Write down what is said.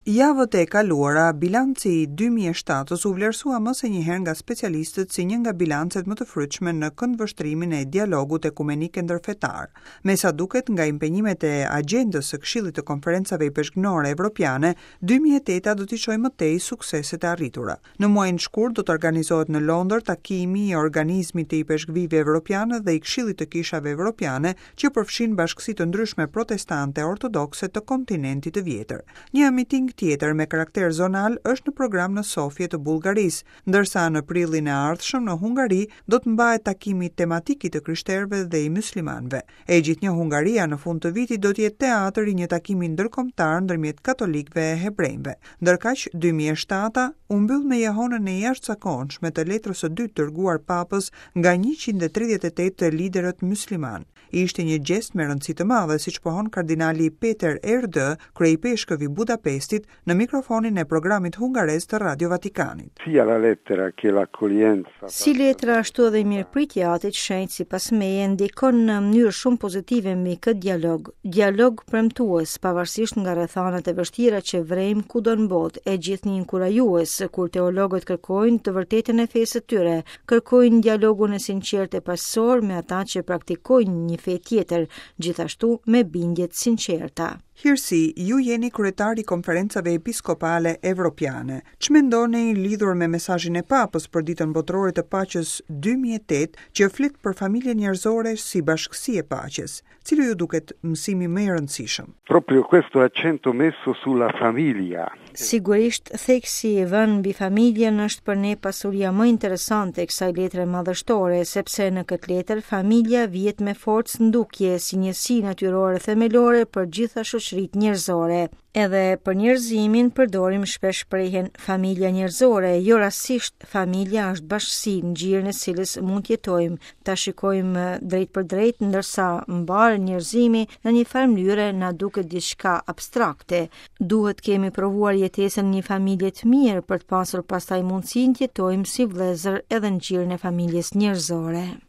Javët e kaluara, bilanci i 2007-ës u vlerësua më se një herë nga specialistët si një nga bilancet më të frytshme në këndvështrimin e dialogut ekumenik e ndërfetar. Me sa duket nga impenjimet e agjendës së Këshillit të Konferencave Ipeshkvnore Evropiane, 2008-a do t'i çojë më tej sukseset e arritura. Në muajin shkurt do të organizohet në Londër takimi i Organizmit të Ipeshkvijve Evropianë dhe i Këshillit të Kishave Evropiane, që përfshin bashkësi të ndryshme protestante e ortodokse të kontinentit të vjetër. Një miting tjetër me karakter zonal është në program në Sofje të Bullgarisë, ndërsa në prillin e ardhshëm në Hungari do të mbahet takimi tematik i të krishterëve dhe i myslimanëve. E gjithnjë Hungaria në fund të vitit do të jetë teatër i një takimi ndërkombëtar ndërmjet katolikëve e hebrenjve. Ndërkaq, 2007-a u mbyll me jehonën e jashtëzakonshme të letrës së dytë dërguar Papës nga 138 liderët myslimanë. Ishte një gjest me rëndësi të madhe, siç pohon kardinali Peter Erdő, kryeipeshkëv i Budapestit, në mikrofonin e programit hungarez të Radio Vatikanit. Sia la lettera che l'accoglienza. Si letra ashtu edhe mirëpritja e Atit Shenjt sipas meje ndikon në mënyrë shumë pozitive mbi këtë dialog. Dialog premtues, pavarësisht nga rrethanat e vështira që vrejmë kudo në botë, e gjithnjë inkurajues kur teologët kërkojnë të vërtetën e fesë së tyre, kërkojnë dialogun e sinqertë e paqësor me ata që praktikojnë një fe tjetër, gjithashtu me bindje të sinqerta. Hirësi, ju jeni kryetar i Konferencave Episkopale Evropiane. Ç'mendoni lidhur me mesazhin e Papës për Ditën Botërore të Paqes 2008, që flet për familjen njerëzore si bashkësi e paqes? Cili ju duket mësimi më i rëndësishëm? Proprio questo accento messo sulla famiglia. Sigurisht, theksi i vënë mbi familjen është për ne pasuria më interesante e kësaj letre madhështore, sepse në këtë letër familja vihet me forcë në dukje si njësi natyrore themelore për gjitha shoqëritë njerëzore. Edhe për njerëzimin përdorim shpesh shprehjen familja njerëzore, jo rastësisht familja është bashkësi në gjirin e cilës mund të jetojmë, ta shikojmë drejtpërdrejt, ndërsa mbarë njerëzimi në një farë mënyre na duket diçka abstrakte. Duhet të kemi provuar jetesën në një familje të mirë për të pasur pastaj mundësinë të jetojmë si vëllezër edhe në gjirin e familjes njerëzore.